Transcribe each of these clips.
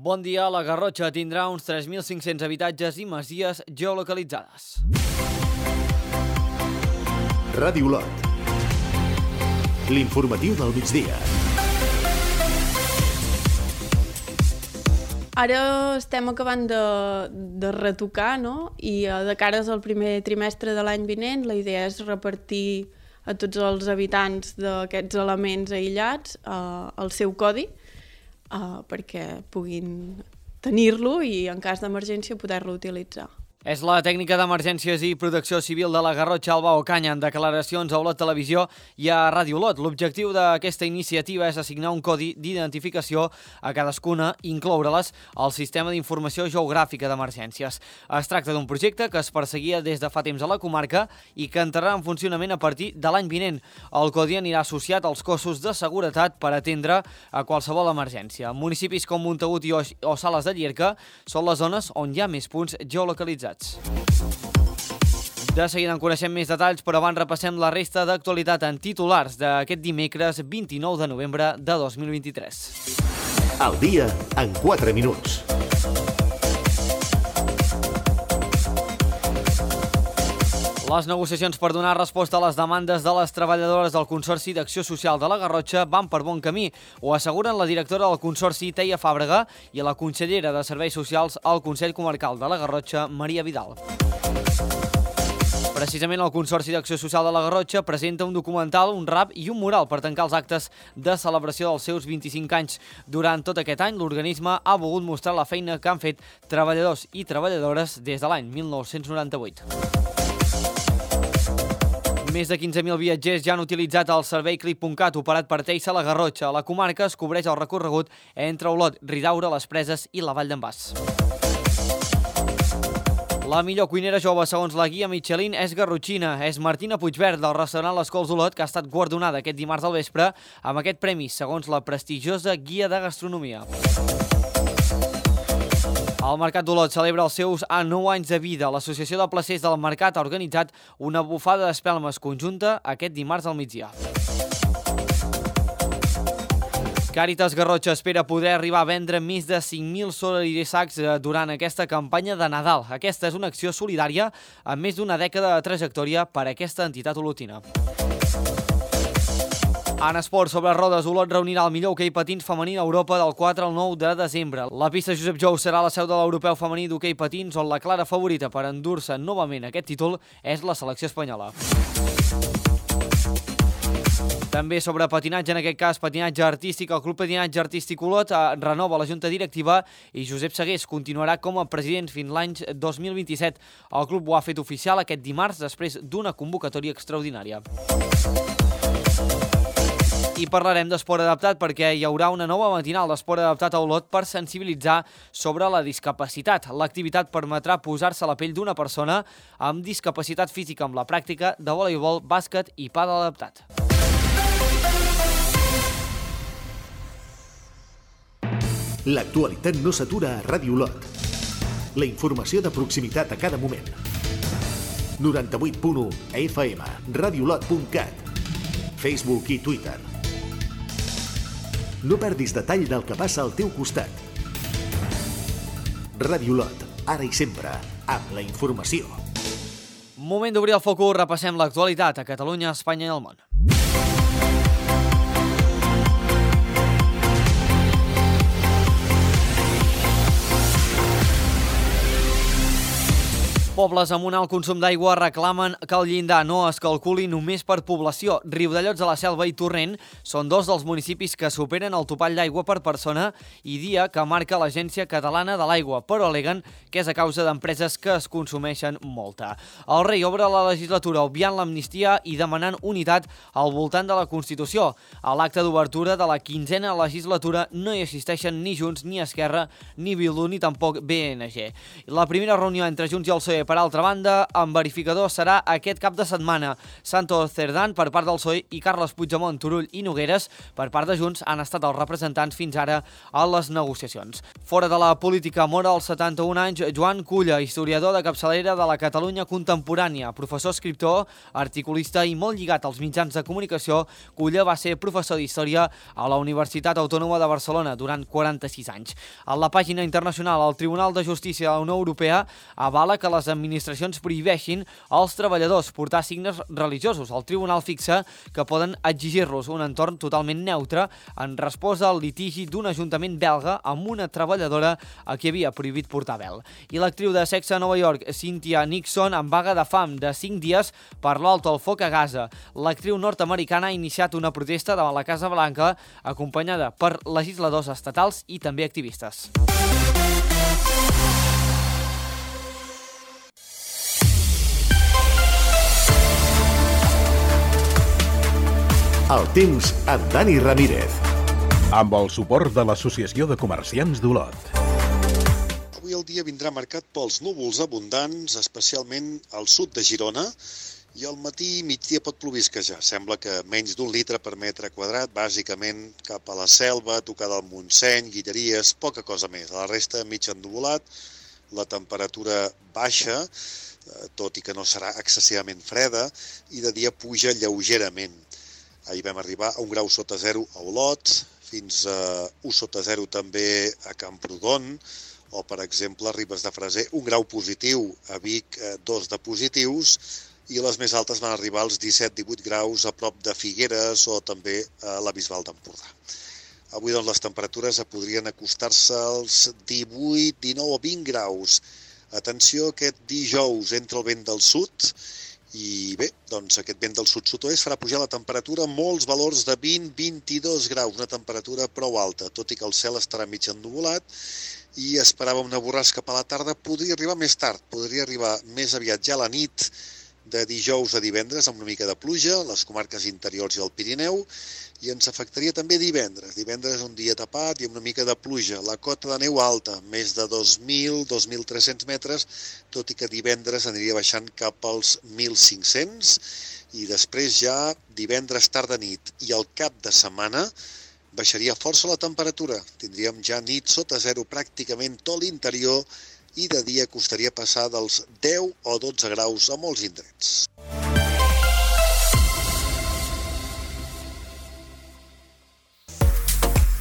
Bon dia, la Garrotxa tindrà uns 3.500 habitatges i masies geolocalitzades. Ràdio Olot. L'informatiu del migdia. Ara estem acabant de retocar, no? I de cares al primer trimestre de l'any vinent la idea és repartir a tots els habitants d'aquests elements aïllats el seu codi perquè puguin tenir-lo i en cas d'emergència poder-lo utilitzar. És la tècnica d'emergències i protecció civil de la Garrotxa, Alba Ocaña, en declaracions a Olot Televisió i a Ràdio Olot. L'objectiu d'aquesta iniciativa és assignar un codi d'identificació a cadascuna i incloure-les al sistema d'informació geogràfica d'emergències. Es tracta d'un projecte que es perseguia des de fa temps a la comarca i que entrarà en funcionament a partir de l'any vinent. El codi anirà associat als cossos de seguretat per atendre a qualsevol emergència. Municipis com Montagut o Sales de Llierca són les zones on hi ha més punts geolocalitzats. De seguida en coneixem més detalls, però abans repassem la resta d'actualitat en titulars d'aquest dimecres 29 de novembre de 2023. Al dia en 4 minuts. Les negociacions per donar resposta a les demandes de les treballadores del Consorci d'Acció Social de la Garrotxa van per bon camí. Ho asseguren la directora del Consorci, Teia Fàbrega, i la consellera de Serveis Socials al Consell Comarcal de la Garrotxa, Maria Vidal. Precisament el Consorci d'Acció Social de la Garrotxa presenta un documental, un rap i un mural per tancar els actes de celebració dels seus 25 anys. Durant tot aquest any, l'organisme ha volgut mostrar la feina que han fet treballadors i treballadores des de l'any 1998. Més de 15.000 viatgers ja han utilitzat el servei Clip.cat operat per Teissa a la Garrotxa. A la comarca es cobreix el recorregut entre Olot, Ridaura, les Preses i la Vall d'en Bas. La millor cuinera jove, segons la guia Michelin, és garrotxina. És Martina Puigverd, del restaurant Les Cols d'Olot, que ha estat guardonada aquest dimarts al vespre amb aquest premi, segons la prestigiosa guia de gastronomia. El Mercat d'Olot celebra els seus 9 anys de vida. L'Associació de Placers del Mercat ha organitzat una bufada d'espelmes conjunta aquest dimarts al migdia. Càritas Garrotxa espera poder arribar a vendre més de 5.000 solidarisacs durant aquesta campanya de Nadal. Aquesta és una acció solidària amb més d'una dècada de trajectòria per a aquesta entitat olotina. En esport sobre rodes, Olot reunirà el millor hoquei patins femení d'Europa del 4 al 9 de desembre. La pista Josep Jou serà la seu de l'europeu femení d'hoquei patins, on la clara favorita per endur-se novament aquest títol és la selecció espanyola. També sobre patinatge, en aquest cas patinatge artístic, el Club Patinatge Artístic Olot renova la junta directiva i Josep Segués continuarà com a president fins l'any 2027. El club ho ha fet oficial aquest dimarts després d'una convocatòria extraordinària. I parlarem d'esport adaptat perquè hi haurà una nova matinal d'esport adaptat a Olot per sensibilitzar sobre la discapacitat. L'activitat permetrà posar-se a la pell d'una persona amb discapacitat física amb la pràctica de voleibol, bàsquet i pàdel adaptat. L'actualitat no s'atura a Ràdio Olot. La informació de proximitat a cada moment. 98.1 FM, radioolot.cat, Facebook i Twitter. No perdis detall del que passa al teu costat. Ràdio Olot, ara i sempre, amb la informació. Moment d'obrir el focus, repassem l'actualitat a Catalunya, Espanya i el món. Pobles amb un alt consum d'aigua reclamen que el llindar no es calculi només per població. Riudellots de la Selva i Torrent són dos dels municipis que superen el topall d'aigua per persona i dia que marca l'Agència Catalana de l'Aigua, però aleguen que és a causa d'empreses que es consumeixen molta. El rei obre la legislatura obviant l'amnistia i demanant unitat al voltant de la Constitució. A l'acte d'obertura de la 15a legislatura no hi assisteixen ni Junts, ni Esquerra, ni Bildu, ni tampoc BNG. La primera reunió entre Junts i el PSOE PSOE. Per altra banda, en verificador serà aquest cap de setmana. Santos Cerdán per part del PSOE i Carles Puigdemont, Turull i Nogueres per part de Junts han estat els representants fins ara a les negociacions. Fora de la política mora als 71 anys Joan Culla, historiador de capçalera de la Catalunya contemporània, professor, escriptor, articulista i molt lligat als mitjans de comunicació. Culla va ser professor d'Història a la Universitat Autònoma de Barcelona durant 46 anys. A la pàgina internacional, el Tribunal de Justícia de la Unió Europea avala que les administracions prohibeixin als treballadors portar signes religiosos. El tribunal fixa que poden exigir-los un entorn totalment neutre en resposta al litigi d'un ajuntament belga amb una treballadora a qui havia prohibit portar vel. I l'actriu de sexe a Nova York, Cynthia Nixon, en vaga de fam de 5 dies per l'alto al foc a Gaza. L'actriu nord-americana ha iniciat una protesta davant la Casa Blanca acompanyada per legisladors estatals i també activistes. El temps amb Dani Ramírez. Amb el suport de l'Associació de Comerciants d'Olot. Avui el dia vindrà marcat pels núvols abundants, especialment al sud de Girona, i al matí i migdia pot plovisquejar. Sembla que menys d'1 litre per metre quadrat, bàsicament cap a la Selva, tocada al Montseny, Guilleries, poca cosa més. A la resta, mig ennuvolat, la temperatura baixa, tot i que no serà excessivament freda, i de dia puja lleugerament. Ahir vam arribar a 1 grau sota 0 a Olot, fins a 1 sota 0 també a Camprodon, o, per exemple, a Ribes de Freser, 1 grau positiu, a Vic 2 de positius, i les més altes van arribar als 17-18 graus a prop de Figueres o també a la Bisbal d'Empordà. Avui doncs, les temperatures podrien acostar-se als 18, 19 o 20 graus. Atenció, aquest dijous entra el vent del sud i bé, doncs aquest vent del sud-sud-oest farà pujar la temperatura a molts valors de 20-22 graus, una temperatura prou alta, tot i que el cel estarà mig ennuvolat i esperava una borrasca per a la tarda. Podria arribar més tard, podria arribar més aviat ja a la nit de dijous a divendres amb una mica de pluja a les comarques interiors i al Pirineu, i ens afectaria també divendres. Divendres un dia tapat i amb una mica de pluja. La cota de neu alta, més de 2.000-2.300 metres, tot i que divendres aniria baixant cap als 1.500, i després ja divendres tarda nit i al cap de setmana baixaria força la temperatura. Tindríem ja nit sota 0 pràcticament tot l'interior i de dia costaria passar dels 10 o 12 graus a molts indrets.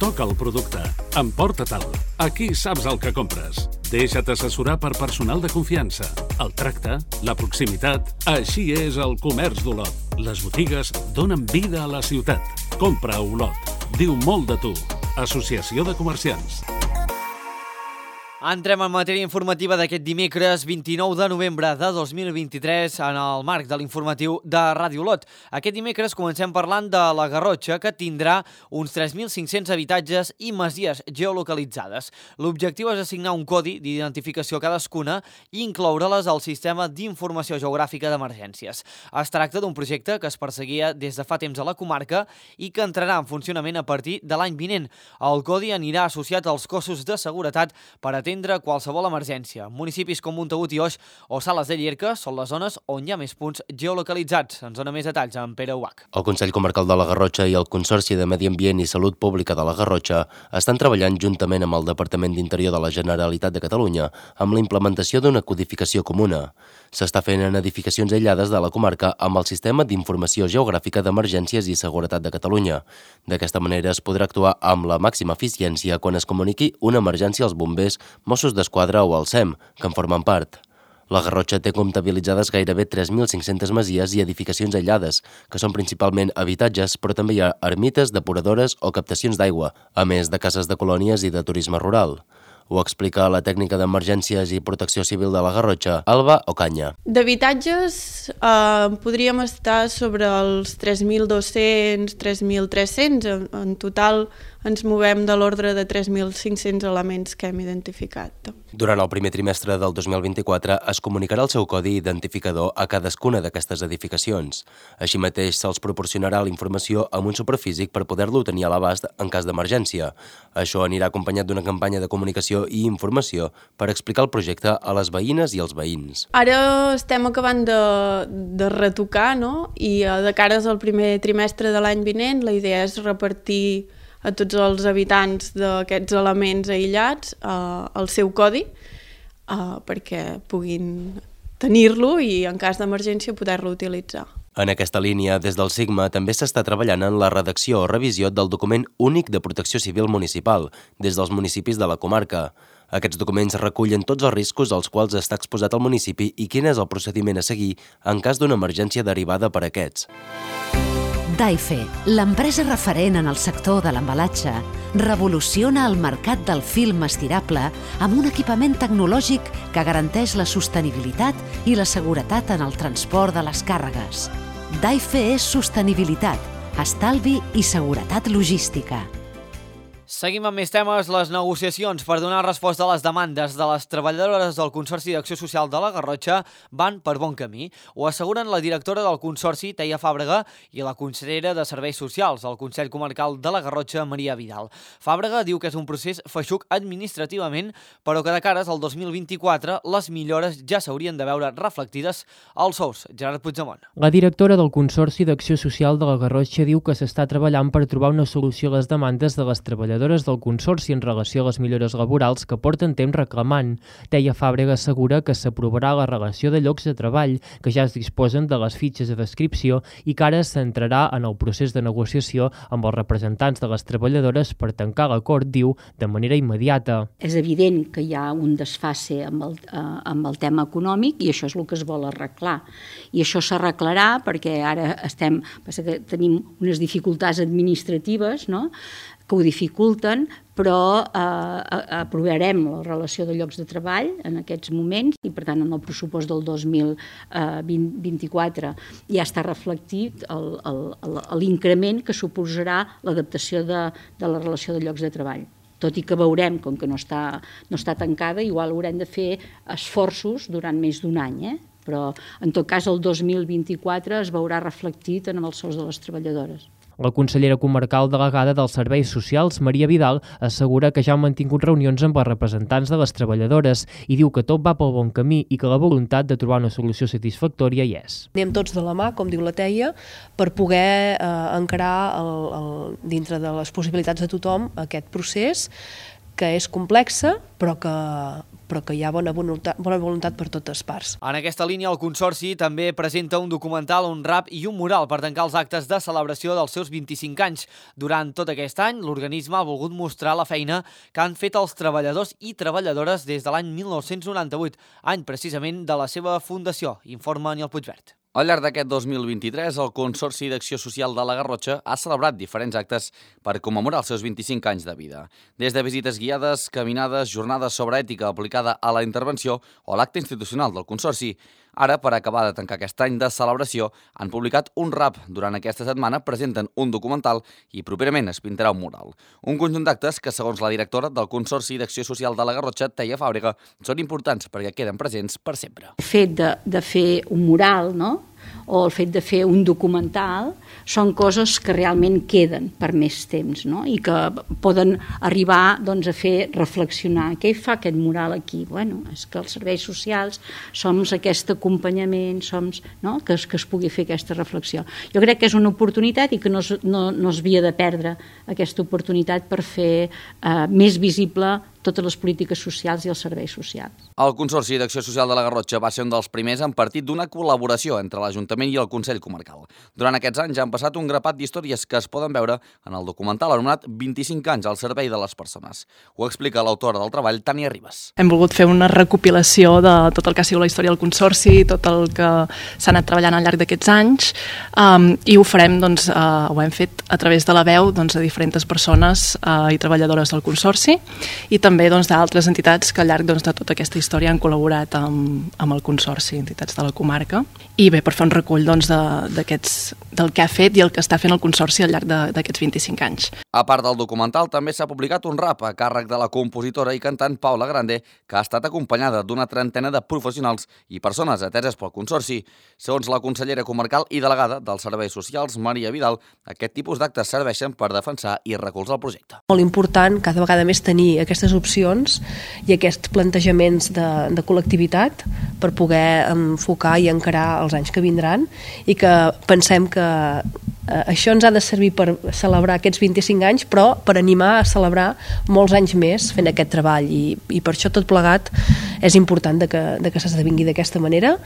Toca el producte. Emporta-te'l. Aquí saps el que compres. Deixa't assessorar per personal de confiança. El tracte, la proximitat... Així és el comerç d'Olot. Les botigues donen vida a la ciutat. Compra a Olot. Diu molt de tu. Associació de Comerciants. Entrem en matèria informativa d'aquest dimecres 29 de novembre de 2023 en el marc de l'informatiu de Ràdio Olot. Aquest dimecres comencem parlant de la Garrotxa, que tindrà uns 3.500 habitatges i masies geolocalitzades. L'objectiu és assignar un codi d'identificació a cadascuna i incloure-les al sistema d'informació geogràfica d'emergències. Es tracta d'un projecte que es perseguia des de fa temps a la comarca i que entrarà en funcionament a partir de l'any vinent. El codi anirà associat als cossos de seguretat per atendre qualsevol emergència. Municipis com Montagut i Oix o Sales de Llierca són les zones on hi ha més punts geolocalitzats. Ens dona més detalls amb Pere Ubach. El Consell Comarcal de la Garrotxa i el Consorci de Medi Ambient i Salut Pública de la Garrotxa estan treballant juntament amb el Departament d'Interior de la Generalitat de Catalunya amb la implementació d'una codificació comuna. S'està fent en edificacions aïllades de la comarca amb el Sistema d'Informació Geogràfica d'Emergències i Seguretat de Catalunya. D'aquesta manera es podrà actuar amb la màxima eficiència quan es comuniqui una emergència als bombers, Mossos d'Esquadra o al SEM, que en formen part. La Garrotxa té comptabilitzades gairebé 3.500 masies i edificacions aïllades, que són principalment habitatges, però també hi ha ermites, depuradores o captacions d'aigua, a més de cases de colònies i de turisme rural. Ho explica la tècnica d'emergències i protecció civil de la Garrotxa, Alba Ocaña. D'habitatges podríem estar sobre els 3.200, 3.300. En total ens movem de l'ordre de 3.500 elements que hem identificat. Durant el primer trimestre del 2024 es comunicarà el seu codi identificador a cadascuna d'aquestes edificacions. Així mateix se'ls proporcionarà la informació amb un superfísic per poder-lo tenir a l'abast en cas d'emergència. Això anirà acompanyat d'una campanya de comunicació i informació per explicar el projecte a les veïnes i als veïns. Ara estem acabant de retocar, no? I de cara al primer trimestre de l'any vinent la idea és repartir a tots els habitants d'aquests elements aïllats el seu codi perquè puguin tenir-lo i en cas d'emergència poder-lo utilitzar. En aquesta línia, des del Sigma també s'està treballant en la redacció o revisió del document únic de protecció civil municipal des dels municipis de la comarca. Aquests documents recullen tots els riscos als quals està exposat el municipi i quin és el procediment a seguir en cas d'una emergència derivada per aquests. Daife, l'empresa referent en el sector de l'embalatge, revoluciona el mercat del film estirable amb un equipament tecnològic que garanteix la sostenibilitat i la seguretat en el transport de les càrregues. Daife és sostenibilitat, estalvi i seguretat logística. Seguim amb més temes. Les negociacions per donar resposta a les demandes de les treballadores del Consorci d'Acció Social de la Garrotxa van per bon camí. Ho asseguren la directora del Consorci, Teia Fàbrega, i la consellera de Serveis Socials del Consell Comarcal de la Garrotxa, Maria Vidal. Fàbrega diu que és un procés feixuc administrativament, però que de cares al 2024 les millores ja s'haurien de veure reflectides als sous. Gerard Puigdemont. La directora del Consorci d'Acció Social de la Garrotxa diu que s'està treballant per trobar una solució a les demandes de les treballadores del Consorci en relació a les millores laborals que porten temps reclamant. Teia Fàbrega assegura que s'aprovarà la relació de llocs de treball, que ja es disposen de les fitxes de descripció i que ara s'entrarà en el procés de negociació amb els representants de les treballadores per tancar l'acord, diu, de manera immediata. És evident que hi ha un desfase amb el tema econòmic i això és el que es vol arreglar. I això s'arreglarà perquè ara tenim unes dificultats administratives, no?, que ho dificulten, però aprovarem la relació de llocs de treball en aquests moments i, per tant, en el pressupost del 2024 ja està reflectit l'increment que suposarà l'adaptació de la relació de llocs de treball. Tot i que veurem, com que no està tancada, igual haurem de fer esforços durant més d'un any, però en tot cas el 2024 es veurà reflectit en els sous de les treballadores. La consellera comarcal delegada dels Serveis Socials, Maria Vidal, assegura que ja han mantingut reunions amb els representants de les treballadores i diu que tot va pel bon camí i que la voluntat de trobar una solució satisfactòria hi és. Anem tots de la mà, com diu la Teia, per poder encarar dintre de les possibilitats de tothom aquest procés que és complexa, però que hi ha bona voluntat per totes parts. En aquesta línia, el Consorci també presenta un documental, un rap i un mural per tancar els actes de celebració dels seus 25 anys. Durant tot aquest any, l'organisme ha volgut mostrar la feina que han fet els treballadors i treballadores des de l'any 1998, any precisament de la seva fundació, informa Aniol Puigvert. Al llarg d'aquest 2023, el Consorci d'Acció Social de la Garrotxa ha celebrat diferents actes per commemorar els seus 25 anys de vida. Des de visites guiades, caminades, jornades sobre ètica aplicada a la intervenció o l'acte institucional del Consorci. Ara, per acabar de tancar aquest any de celebració, han publicat un rap. Durant aquesta setmana presenten un documental i properament es pintarà un mural. Un conjunt d'actes que, segons la directora del Consorci d'Acció Social de la Garrotxa, Teia Fàbrega, són importants perquè queden presents per sempre. El fet de fer un mural, no?, o el fet de fer un documental són coses que realment queden per més temps, no?, i que poden arribar doncs, a fer reflexionar. Què fa aquest mural aquí? Bueno, és que els serveis socials som aquest acompanyament, no?, que es pugui fer aquesta reflexió. Jo crec que és una oportunitat i que no es havia de perdre aquesta oportunitat per fer més visible totes les polítiques socials i els serveis socials. El Consorci d'Acció Social de la Garrotxa va ser un dels primers en partit d'una col·laboració entre l'Ajuntament i el Consell Comarcal. Durant aquests anys han passat un grapat d'històries que es poden veure en el documental anomenat 25 anys al servei de les persones. Ho explica l'autora del treball, Tània Ribas. Hem volgut fer una recopilació de tot el que ha sigut la història del Consorci, tot el que s'ha anat treballant al llarg d'aquests anys, i ho farem, ho hem fet a través de la veu de diferents persones i treballadores del Consorci, i també d'altres entitats que al llarg de tota aquesta història han col·laborat amb el Consorci, entitats de la comarca. I bé, per fer un recull del que ha fet i el que està fent el Consorci al llarg d'aquests 25 anys. A part del documental, també s'ha publicat un rap a càrrec de la compositora i cantant Paula Grande, que ha estat acompanyada d'una trentena de professionals i persones ateses pel Consorci. Segons la consellera comarcal i delegada dels Serveis Socials, Maria Vidal, aquest tipus d'actes serveixen per defensar i recolzar el projecte. Molt important cada vegada més tenir aquestes opcions i aquests plantejaments de col·lectivitat per poder enfocar i encarar els anys que vindran i que pensem que això ens ha de servir per celebrar aquests 25 anys, però per animar a celebrar molts anys més fent aquest treball i per això tot plegat és important que s'esdevingui d'aquesta manera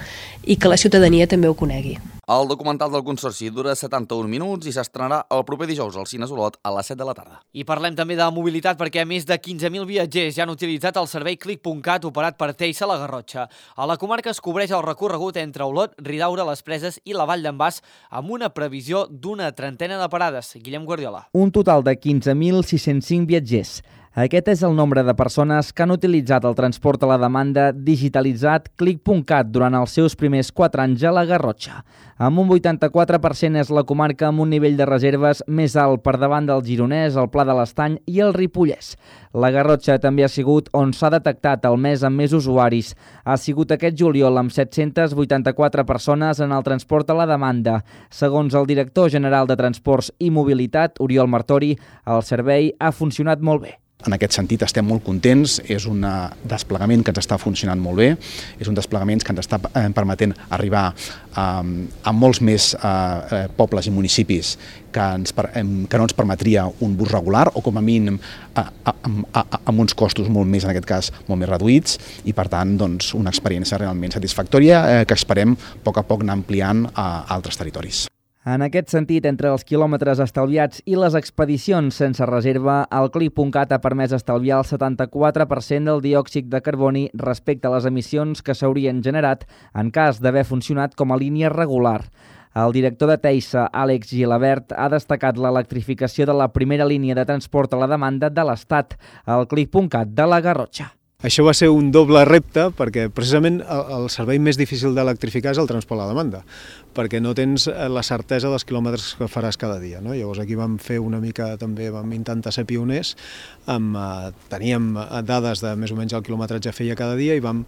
i que la ciutadania també ho conegui. El documental del Consorci dura 71 minuts i s'estrenarà el proper dijous al Cines Olot a les 7 de la tarda. I parlem també de mobilitat perquè més de 15.000 viatgers ja han utilitzat el servei Click.cat operat per Teissa a la Garrotxa. A la comarca es cobreix el recorregut entre Olot, Ridaura, les Preses i la Vall d'en Bas amb una previsió d'una trentena de parades. Guillem Guardiola. Un total de 15.605 viatgers. Aquest és el nombre de persones que han utilitzat el transport a la demanda digitalitzat Click.cat durant els seus primers 4 anys a la Garrotxa. Amb un 84% és la comarca amb un nivell de reserves més alt per davant del Gironès, el Pla de l'Estany i el Ripollès. La Garrotxa també ha sigut on s'ha detectat el mes amb més usuaris. Ha sigut aquest juliol amb 784 persones en el transport a la demanda. Segons el director general de Transports i Mobilitat, Oriol Martori, el servei ha funcionat molt bé. En aquest sentit estem molt contents, és un desplegament que ens està funcionant molt bé, és un desplegament que ens està permetent arribar a molts més pobles i municipis que no ens permetria un bus regular o com a mínim amb uns costos molt més, en aquest cas, molt més reduïts i per tant una experiència realment satisfactòria que esperem a poc anar ampliant a altres territoris. En aquest sentit, entre els quilòmetres estalviats i les expedicions sense reserva, el Click.cat ha permès estalviar el 74% del diòxid de carboni respecte a les emissions que s'haurien generat en cas d'haver funcionat com a línia regular. El director de Teissa, Àlex Gilabert, ha destacat l'electrificació de la primera línia de transport a la demanda de l'Estat, el Click.cat de la Garrotxa. Això va ser un doble repte perquè precisament el servei més difícil d'electrificar és el transport a la demanda, perquè no tens la certesa dels quilòmetres que faràs cada dia. No? Llavors aquí vam fer una mica, també vam intentar ser pioners, teníem dades de més o menys el quilometratge que feia cada dia i vam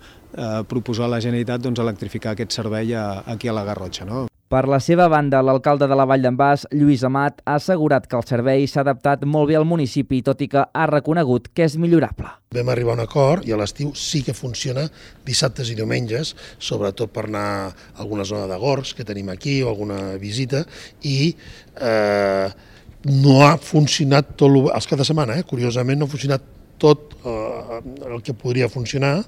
proposar a la Generalitat electrificar aquest servei aquí a la Garrotxa. No? Per la seva banda, l'alcalde de la Vall d'en Bas, Lluís Amat, ha assegurat que el servei s'ha adaptat molt bé al municipi, tot i que ha reconegut que és millorable. Vam arribar a un acord i a l'estiu sí que funciona dissabtes i diumenges, sobretot per anar a alguna zona de Gorgs que tenim aquí o alguna visita, i no ha funcionat tot els caps de setmana, curiosament no ha funcionat tot el que podria funcionar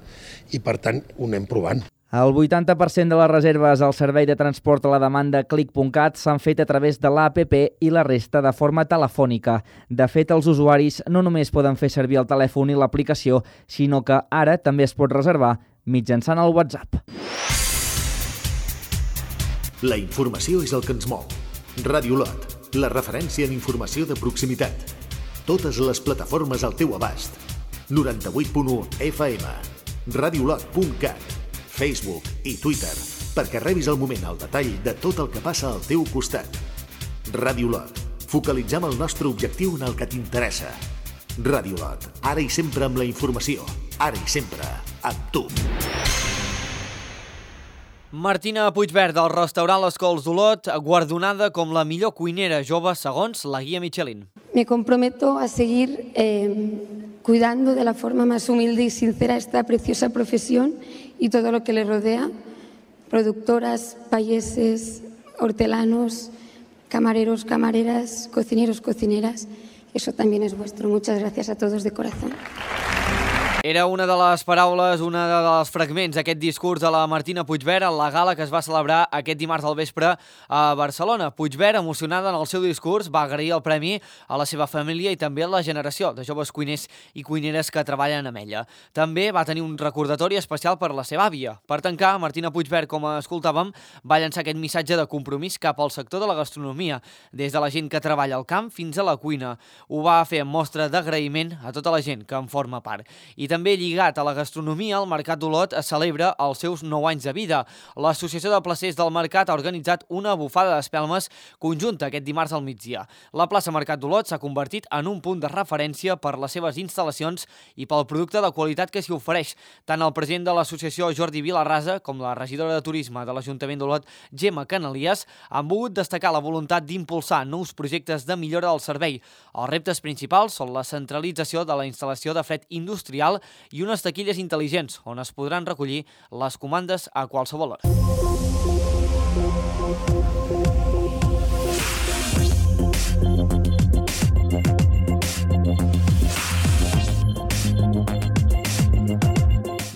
i per tant ho anem provant. El 80% de les reserves al servei de transport a la demanda Click.cat s'han fet a través de l'APP i la resta de forma telefònica. De fet, els usuaris no només poden fer servir el telèfon i l'aplicació, sinó que ara també es pot reservar mitjançant el WhatsApp. La informació és el que ens mou. Ràdio Olot, la referència en informació de proximitat. Totes les plataformes al teu abast. 98.1 FM, radioolot.cat, Facebook i Twitter, perquè rebis al moment el detall de tot el que passa al teu costat. Ràdio Olot, focalitzem el nostre objectiu en el que t'interessa. Ràdio Olot, ara i sempre amb la informació, ara i sempre amb tu. Martina Puigverd, del restaurant Les Cols d'Olot, guardonada com la millor cuinera jove segons la guia Michelin. Me comprometo a seguir cuidando de la forma más humilde y sincera esta preciosa profesión y todo lo que le rodea. Productoras, payeses, hortelanos, camareros, camareras, cocineros, cocineras. Eso también es vuestro. Muchas gracias a todos de corazón. Era una de les paraules, una dels fragments d'aquest discurs de la Martina Puigverd a la gala que es va celebrar aquest dimarts al vespre a Barcelona. Puigverd, emocionada en el seu discurs, va agrair el premi a la seva família i també a la generació de joves cuiners i cuineres que treballen amb ella. També va tenir un recordatori especial per la seva àvia. Per tancar, Martina Puigverd, com escoltàvem, va llançar aquest missatge de compromís cap al sector de la gastronomia, des de la gent que treballa al camp fins a la cuina. Ho va fer en mostra d'agraïment a tota la gent que en forma part. I també lligat a la gastronomia, el Mercat d'Olot celebra els seus 9 anys de vida. L'Associació de Placers del Mercat ha organitzat una bufada d'espelmes conjunta aquest dimarts al migdia. La plaça Mercat d'Olot s'ha convertit en un punt de referència per les seves instal·lacions i pel producte de qualitat que s'hi ofereix. Tant el president de l'associació, Jordi Vilarrasa, com la regidora de Turisme de l'Ajuntament d'Olot, Gemma Canalies, han volgut destacar la voluntat d'impulsar nous projectes de millora del servei. Els reptes principals són la centralització de la instal·lació de fred industrial i unes taquilles intel·ligents on es podran recollir les comandes a qualsevol hora.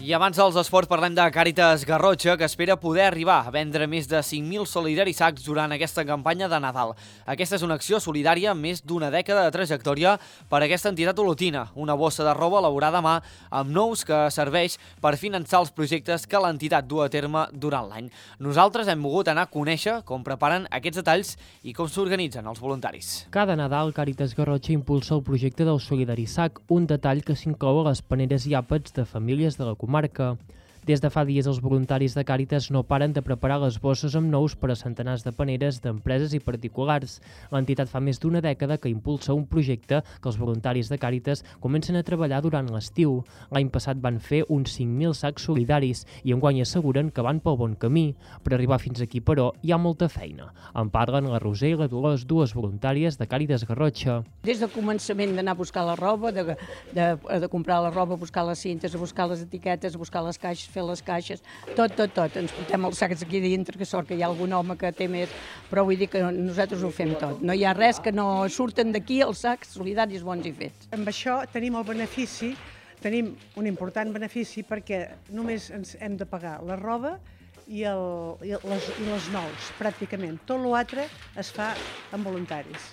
I abans dels esports parlem de Càritas Garrotxa, que espera poder arribar a vendre més de 5.000 solidaris sacs durant aquesta campanya de Nadal. Aquesta és una acció solidària amb més d'una dècada de trajectòria per a aquesta entitat olotina, una bossa de roba elaborada a mà amb nous que serveix per finançar els projectes que l'entitat du a terme durant l'any. Nosaltres hem volgut anar a conèixer com preparen aquests detalls i com s'organitzen els voluntaris. Cada Nadal, Càritas Garrotxa impulsa el projecte del Solidari Sac, un detall que s'inclou a les paneres i àpats de famílies de la comarca. Des de fa dies, els voluntaris de Càritas no paren de preparar les bosses amb nous per a centenars de paneres d'empreses i particulars. L'entitat fa més d'una dècada que impulsa un projecte que els voluntaris de Càritas comencen a treballar durant l'estiu. L'any passat van fer uns 5.000 sacs solidaris i enguany asseguren que van pel bon camí. Per arribar fins aquí, però, hi ha molta feina. En parlen la Roser i la Dolors, dues voluntàries de Càritas Garrotxa. Des del començament d'anar a buscar la roba, de comprar la roba, buscar les cintes, a buscar les etiquetes, a buscar les caixes, fer les caixes, tot. Ens portem els sacs aquí dintre, que sort que hi ha algun home que té més, però vull dir que nosaltres ho fem tot. No hi ha res que no surten d'aquí els sacs solidaris bons i fets. Amb això tenim el benefici, tenim un important benefici perquè només ens hem de pagar la roba i les nous, pràcticament. Tot l'altre es fa amb voluntaris.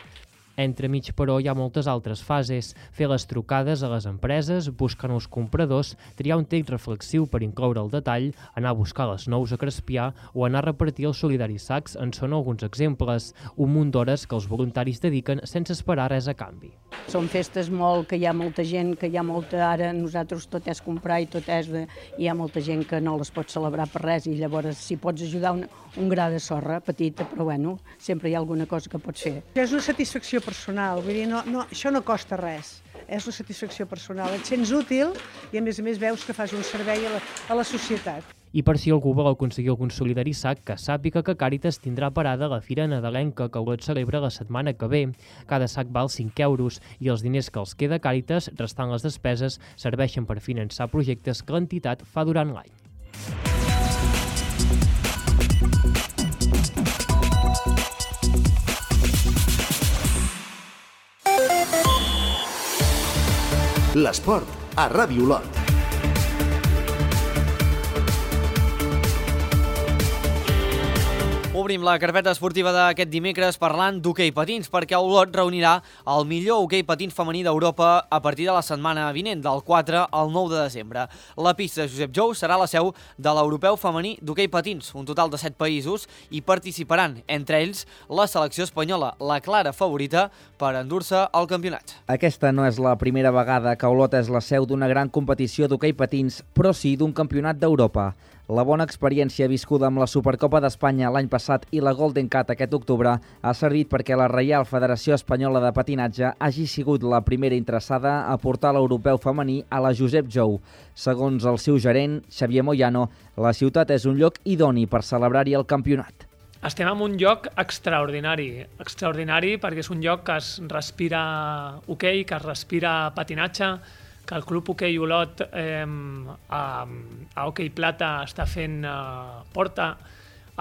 Entremig, però, hi ha moltes altres fases. Fer les trucades a les empreses, buscar nous compradors, triar un text reflexiu per incloure el detall, anar a buscar les nous a Crespià o anar a repartir els solidaris sacs en són alguns exemples. Un munt d'hores que els voluntaris dediquen sense esperar res a canvi. Són festes que hi ha molta gent, que hi ha molta... Ara nosaltres tot és comprar i tot és... Hi ha molta gent que no les pot celebrar per res i llavors si pots ajudar un gra de sorra petita, però bueno, sempre hi ha alguna cosa que pots fer. És una satisfacció personal, vull dir, això no costa res, és una satisfacció personal, et sents útil i a més veus que fas un servei a la societat. I per si algú vol aconseguir algun solidari sac, que sàpiga que Càritas tindrà parada a la Fira Nadalenca, que Olot celebra la setmana que ve. Cada sac val 5 euros i els diners que els queda a Càritas, restant les despeses, serveixen per finançar projectes que l'entitat fa durant l'any. L'esport a Ràdio Olot. Obrim la carpeta esportiva d'aquest dimecres parlant d'hoquei patins, perquè Olot reunirà el millor hoquei patins femení d'Europa a partir de la setmana vinent, del 4 al 9 de desembre. La pista Josep Jou serà la seu de l'europeu femení d'hoquei patins, un total de 7 països, i participaran, entre ells, la selecció espanyola, la clara favorita per endur-se al campionat. Aquesta no és la primera vegada que Olot és la seu d'una gran competició d'hoquei patins, però sí d'un campionat d'Europa. La bona experiència viscuda amb la Supercopa d'Espanya l'any passat i la Golden Cat aquest octubre ha servit perquè la Reial Federació Espanyola de Patinatge hagi sigut la primera interessada a portar l'europeu femení a la Josep Jou. Segons el seu gerent, Xavier Moyano, la ciutat és un lloc idoni per celebrar-hi el campionat. Estem en un lloc extraordinari perquè és un lloc que es respira hoquei, que es respira patinatge, que el Club Hoquei Olot a Hoquei Plata està fent porta,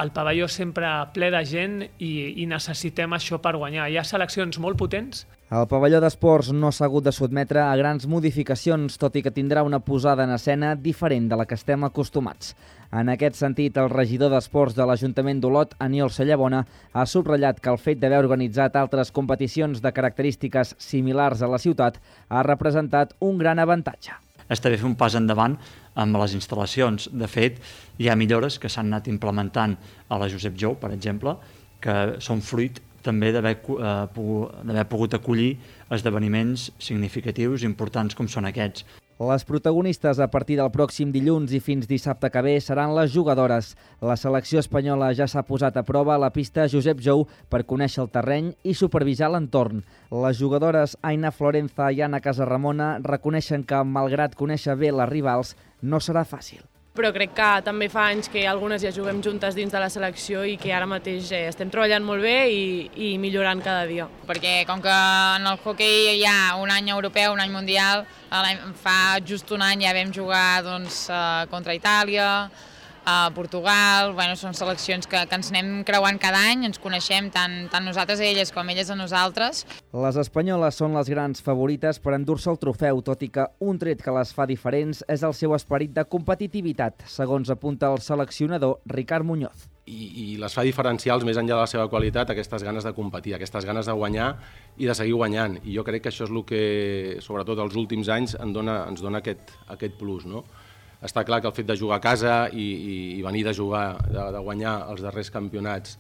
el pavelló sempre ple de gent i necessitem això per guanyar. Hi ha seleccions molt potents. El pavelló d'esports no s'ha hagut de sotmetre a grans modificacions, tot i que tindrà una posada en escena diferent de la que estem acostumats. En aquest sentit, el regidor d'Esports de l'Ajuntament d'Olot, Aniol Sallabona, ha subratllat que el fet d'haver organitzat altres competicions de característiques similars a la ciutat ha representat un gran avantatge. Està bé fer un pas endavant amb les instal·lacions. De fet, hi ha millores que s'han anat implementant a la Josep Jou, per exemple, que són fruit també d'haver pogut acollir esdeveniments significatius importants com són aquests. Les protagonistes a partir del pròxim dilluns i fins dissabte que ve seran les jugadores. La selecció espanyola ja s'ha posat a prova a la pista Josep Jou per conèixer el terreny i supervisar l'entorn. Les jugadores Aina Florenza i Anna Casarramona reconeixen que, malgrat conèixer bé les rivals, no serà fàcil. Però crec que també fa anys que algunes ja juguem juntes dins de la selecció i que ara mateix estem treballant molt bé i millorant cada dia. Perquè com que en el hoquei hi ha un any europeu, un any mundial, fa just un any ja vam jugar contra Itàlia, a Portugal, són seleccions que ens anem creuant cada any, ens coneixem tant nosaltres a elles com elles a nosaltres. Les espanyoles són les grans favorites per endur-se el trofeu, tot i que un tret que les fa diferents és el seu esperit de competitivitat, segons apunta el seleccionador Ricard Muñoz. I les fa diferencials més enllà de la seva qualitat, aquestes ganes de competir, aquestes ganes de guanyar i de seguir guanyant. I jo crec que això és el que, sobretot els últims anys, ens dona aquest plus, no? Està clar que el fet de jugar a casa i venir de jugar, de guanyar els darrers campionats,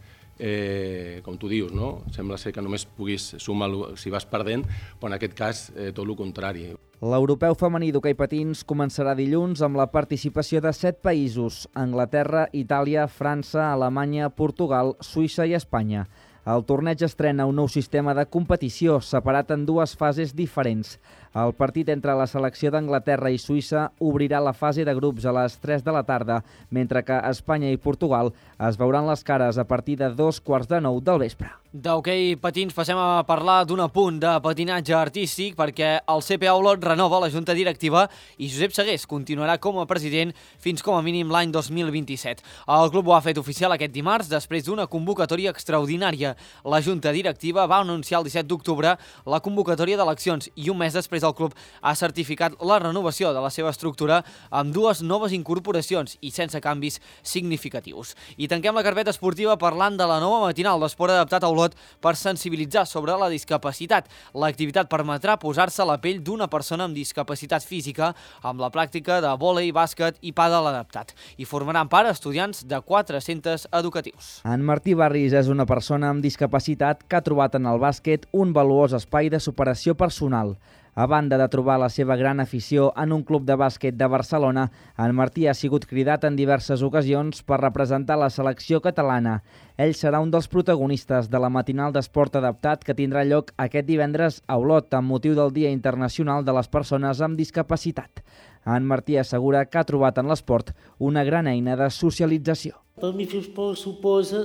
com tu dius, no? Sembla ser que només puguis sumar si vas perdent, però en aquest cas tot el contrari. L'europeu femení d'hoquei patins començarà dilluns amb la participació de 7 països: Anglaterra, Itàlia, França, Alemanya, Portugal, Suïssa i Espanya. El torneig estrena un nou sistema de competició separat en 2 fases diferents. El partit entre la selecció d'Anglaterra i Suïssa obrirà la fase de grups a les 3 de la tarda, mentre que Espanya i Portugal es veuran les cares a partir de 8:45 del vespre. D'hoquei patins passem a parlar d'un apunt de patinatge artístic perquè el CPA Olot renova la junta directiva i Josep Segués continuarà com a president fins com a mínim l'any 2027. El club ho ha fet oficial aquest dimarts després d'una convocatòria extraordinària. La junta directiva va anunciar el 17 d'octubre la convocatòria d'eleccions i un mes després el club ha certificat la renovació de la seva estructura amb 2 noves incorporacions i sense canvis significatius. I tanquem la carpeta esportiva parlant de la nova matinal d'esport adaptat a Olot per sensibilitzar sobre la discapacitat. L'activitat permetrà posar-se a la pell d'una persona amb discapacitat física amb la pràctica de vòlei, bàsquet i pàdel adaptat. I formaran part estudiants de 4 centres educatius. En Martí Barris és una persona amb discapacitat que ha trobat en el bàsquet un valuós espai de superació personal. A banda de trobar la seva gran afició en un club de bàsquet de Barcelona, en Martí ha sigut cridat en diverses ocasions per representar la selecció catalana. Ell serà un dels protagonistes de la matinal d'esport adaptat que tindrà lloc aquest divendres a Olot amb motiu del Dia Internacional de les Persones amb Discapacitat. En Martí assegura que ha trobat en l'esport una gran eina de socialització. Per mi fer esport suposa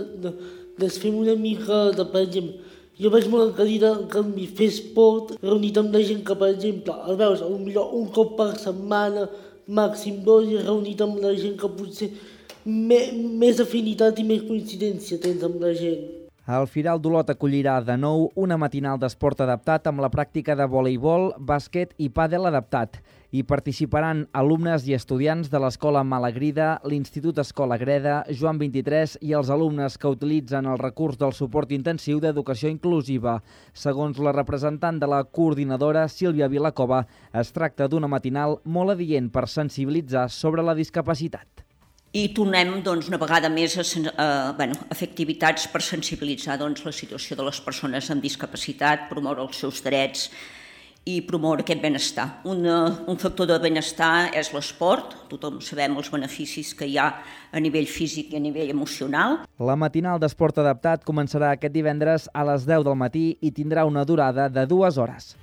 desfer una mica de, per exemple, jo vaig molt encadida en canvi fer esport reunit amb la gent que, per exemple, el veus potser un cop per setmana, màxim 2, i reunit amb la gent que potser més afinitat i més coincidència tens amb la gent. El Firal d'Olot acollirà de nou una matinal d'esport adaptat amb la pràctica de voleibol, bàsquet i pàdel adaptat. Hi participaran alumnes i estudiants de l'Escola Malagrida, l'Institut Escola Greda, Joan 23 i els alumnes que utilitzen el recurs del suport intensiu d'educació inclusiva. Segons la representant de la coordinadora, Sílvia Vilacova, es tracta d'una matinal molt adient per sensibilitzar sobre la discapacitat. I tornem una vegada més a fer activitats per sensibilitzar la situació de les persones amb discapacitat, promoure els seus drets i promoure aquest benestar. Un factor de benestar és l'esport, tothom sabem els beneficis que hi ha a nivell físic i a nivell emocional. La matinal d'esport adaptat començarà aquest divendres a les 10 del matí i tindrà una durada de 2 hores.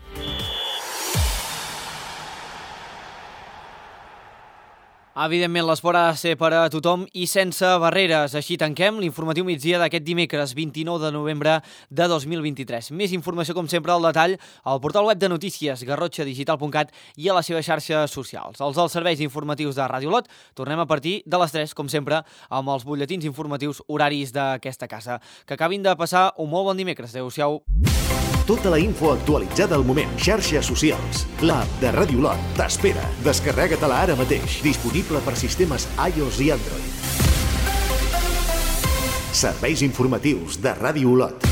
Evidentment, l'esport ha de ser per a tothom i sense barreres. Així tanquem l'informatiu migdia d'aquest dimecres, 29 de novembre de 2023. Més informació, com sempre, al detall al portal web de notícies garrotxadigital.cat i a les seves xarxes socials. Els dels serveis informatius de Ràdio Olot tornem a partir de les 3, com sempre, amb els butlletins informatius horaris d'aquesta casa. Que acabin de passar un molt bon dimecres. Adéu-siau. Tota la info actualitzada al moment. Xarxes socials. L'app de Ràdio Olot t'espera. Descarrega-te-la ara mateix. Disponible per sistemes iOS i Android. Serveis informatius de Ràdio Olot.